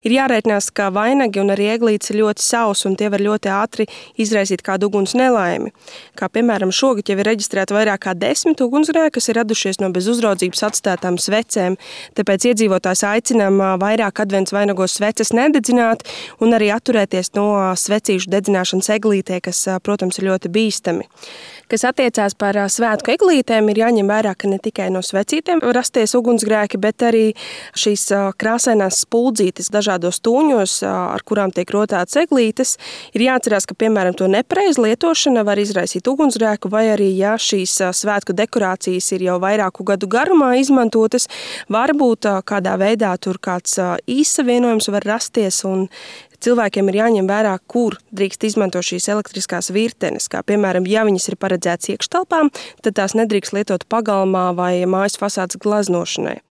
Ir jārēķinās, ka vainagi un arī eglītes ir ļoti sausi, un tie var ļoti ātri izraisīt kādu uguns nelaimi. Kā piemēram šogad jau ir reģistrēta vairāk kā 10 ugunsgrēki, kas ir radušies no bez uzraudzības atstātām svecēm. Tāpēc iedzīvotājs aicinām vairāk advents vainagos sveces nededzināt un arī atturēties no svecīšu dedzināšanas eglītē, kas, protams, ir ļoti bīstami. Kas attiecās par svētku eglītēm, ir jāņem vērā, ka ne tikai no svecītēm var rasties ugunsgrēki, bet arī šīs krāsainās spuldzītes dažādos tūņos, ar kurām tiek rotātas eglītes. Ir jāatcerās, ka, piemēram, to nepareiza lietošana var izraisīt ugunsgrēku, vai arī, ja šīs svētku dekorācijas ir jau vairāku gadu garumā izmantotas, varbūt kādā veidā tur kāds īssavienojums var rasties, un cilvēkiem ir jāņem vērā, kur drīkst izmantot šīs elektriskās virtenes, kā piemēram, ja viņas ir paredzētas iekštelpām, tad tās nedrīkst lietot pagalmā vai mājas fasādes glaznošanai.